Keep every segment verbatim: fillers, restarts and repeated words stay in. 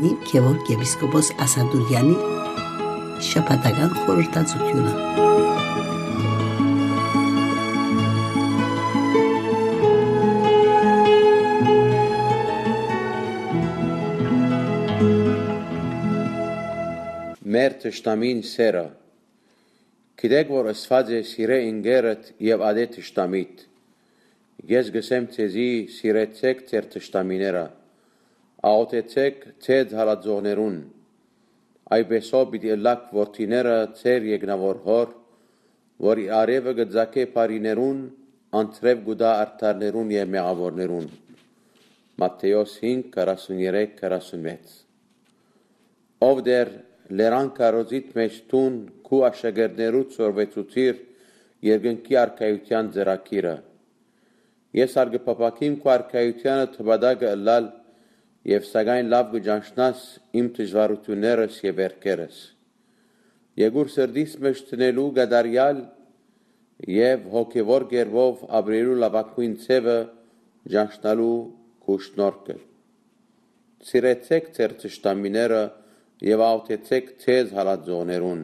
Գեորգ եպիսկոպոս Ասատուրեանի շաբաթական խորհրդածութիւնը։ Մեր թշնամին սերը։ Գիտեք որ ըսուած է. «Սիրէ ընկերդ եւ ատէ թշնամիդ»։ Ես կ'ըսեմ ձեզի. սիրեցէք ձեր թշնամիները, աղօթեցէք ձեզ հալածողներուն։ Այդպէսով պիտի ըլլաք որդիները ձեր երկնաւոր Հօր, որ իր արեւը կը ծագէ բարիներուն, անձրեւ կու տայ արդարներուն եւ մեղաւորներուն։ Մատթէոս հինգ, քառասուն երեք, քառասուն վեց։ Ով Տէր, լերան քարոզիդ մէջ դուն քու աշակերտներուդ սորվեցուցիր երկնքի արքայութեան ծրագիրը։ Ես ալ կը փափաքիմ քու արքայութեանը թպատակը ըլլալ, եւ սակայն լաւ կը ճանչնաս իմ դժուարութիւններս եւ վերքերս։ Եկուր սրտիս մէջ դնելու կատարեալ եւ հոգեւոր կերպով ապրելու լաւագոյն ձեւը, ճանչնալու քու շնորհքը։ Սիրեցէք ձեր թշնամիները եւ աղօթեցէք ձեզ հալածողներուն։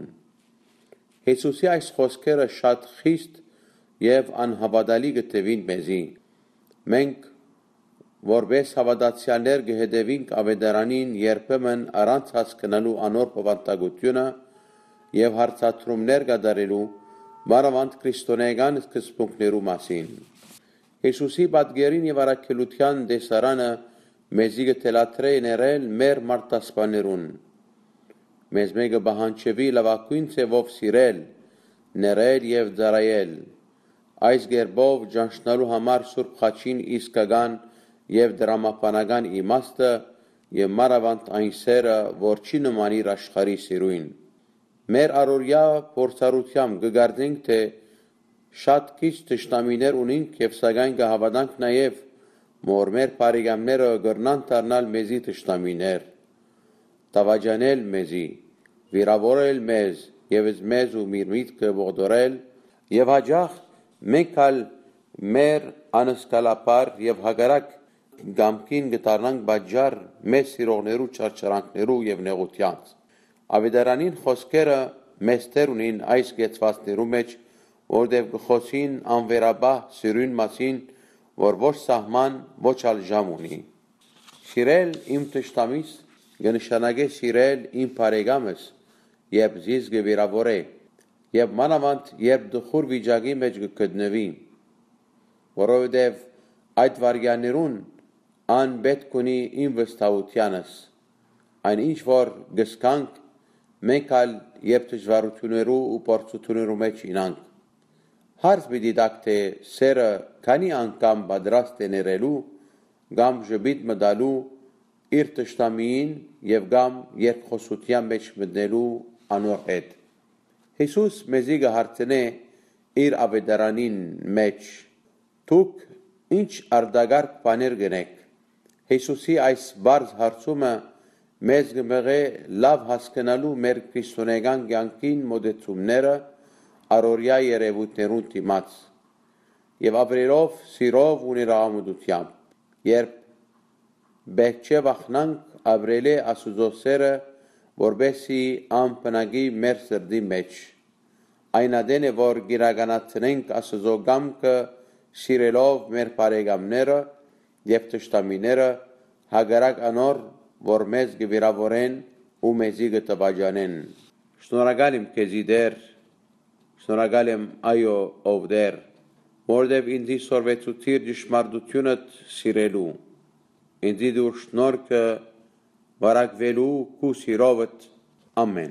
Յիսուսի այս խօսքերը շատ խիստ եւ անհաւատալի կը թուին մեզի։ Մենք, որպէս հաւատացեալներ, կը հետեւինք Աւետարանին երբեմն առանց հասկնալու անոր բովանդակութիւնը եւ հարցադրումներ կատարելու, մանաւանդ քրիստոնէական սկզբունքներու մասին։ Յիսուսի պատկերին եւ առաքելութեան տեսարանը մեզի կը թելադրէ ներել մեր մարդասպաներուն։ Մեզմէ կը պահանջուի լաւագոյն ձեւով սիրել, ներել եւ ծառայել, այս կերպով ճանչնալու համար Սուրբ Խաչին իսկական եւ տրամաբանական իմաստը եւ մանաւանդ այն սերը, որ չի նմանիր աշխարհի սիրոյն։ Մեր առօրեայ փորձառութեամբ կը կարծենք թէ շատ քիչ թշնամիներ ունինք եւ սակայն կը հաւատանք նաեւ, որ մեր բարեկամները կրնան դառնալ մեզի թշնամիներ, դաւաճանել մեզի, վիրաւորել մեզ եւ մեզ ու մեր միտքը ողդորել, եւ յաճախ մենք ալ մեր անսկալաբար եւ հակառակ կամքին կը դառնանք պատճառ մեզ սիրողներու չարչարանքներու եւ նեղութեանց։ Աւետարանին խօսքերը մեծ դեր ունին այս կեցուածներու մէջ, որտեղ կը խօսին անվերապահ սիրոյն մասին, որ ոչ սահման, ոչ ալ ժամ ունի։ Սիրել իմ թշնամիս կը նշանակէ սիրել իմ բարեկամս, երբ զիս կը վիրաւորէ, եւ մանաւանդ երբ տխուր վիճակի մէջ կը գտնուի, որովհետեւ այդ վայրկեաններուն ան պէտք ունի իմ վստահութեանս։ Այն ինչ որ կը զգանք, մենք ալ երբ դժուարութիւններու ու փորձութիւններու մէջ ինանք։ Հարց պիտի տաք թէ սերը քանի՞ անգամ պատրաստ է ներելու կամ ժպիտ մը տալու իր թշնամիին եւ կամ երկխօսութեան մէջ մտնելու անոր հետ։ Յիսուս մեզի կը հարցնէ իր աւետարանին մէջ. «Դուք ի՞նչ արտակարգ բաներ կ'ընէք»։ Յիսուսի այս պարզ հարցումը մեզ կը մղէ լաւ հասկնալու մեր քրիստոնէական կեանքին մօտեցումները առօրեայ երեւոյթներուն դիմաց եւ ապրելով սիրով ու ներաղամտութեամբ, երբ պէտք չէ վախնանք ապրելէ Աստուծոյ սերը, որպէս զի ան բնակի մեր սրտի մէջ։ Այն ատեն է, որ կիրականացնենք Աստուծոյ կամքը, սիրելով մեր բարեկամները եւ թշնամիները, հակառակ անոր, որ մեզ կը վիրաւորեն ու մեզի կը տպաճանեն։ Շնորհակալ եմ քեզի, Տէր, շնորհակալ եմ, այո, ով Տէր, որովհետեւ ինձի սորվեցուցիր ճշմարտութիւնդ սիրելու, ինձի տուր շնորհքը վարակուելու քու սիրովդ։ Ամեն։